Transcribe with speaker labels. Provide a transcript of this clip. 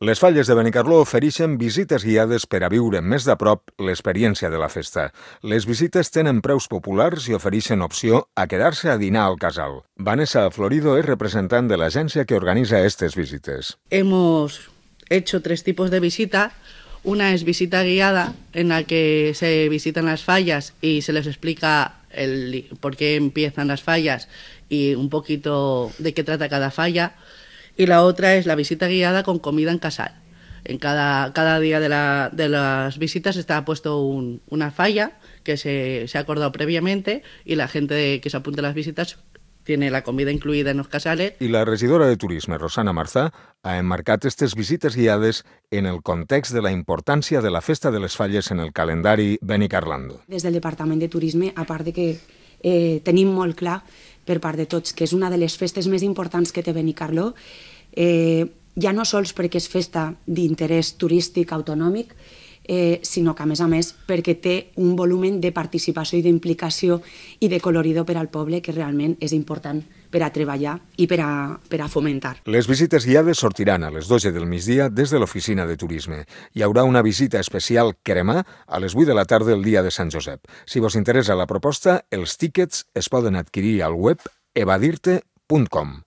Speaker 1: Les Falles de Benicarló ofereixen visites guiades per a viure més de prop l'experiència de la festa. Les visites tenen preus populars i ofereixen opció a quedar-se a dinar al casal. Vanessa Florido es representant de l'agència que organiza estas visites.
Speaker 2: Hemos hecho 3 tipos de visita. Una es visita guiada, en la que se visitan las fallas y se les explica por qué empiezan las fallas y un poquito de qué trata cada falla. Y la otra es la visita guiada con comida en casal. En cada día de las visitas está puesto una falla que se ha acordado previamente y la gente que se apunta a las visitas tiene la comida incluida en los casales.
Speaker 1: I la regidora de Turisme, Rosana Marzà, ha emmarcat aquestes visites guiades en el context de la importància de la Festa de les Falles en el calendari benicarlando.
Speaker 3: Des del Departament de Turisme, a part de que tenim molt clar per part de tots que és una de les festes més importants que té Benicarló, ja no sols perquè és festa d'interès turístic autonòmic, sinó que, a més, perquè té un volumen de participació i d'implicació i de colorido per al poble que realment és important per a treballar i per a fomentar.
Speaker 1: Les visites guiades sortiran a les 12 del migdia des de l'oficina de turisme. Hi haurà una visita especial cremà a les 8 de la tarda el dia de Sant Josep. Si vos interessa la proposta, els tíquets es poden adquirir al web evadirte.com.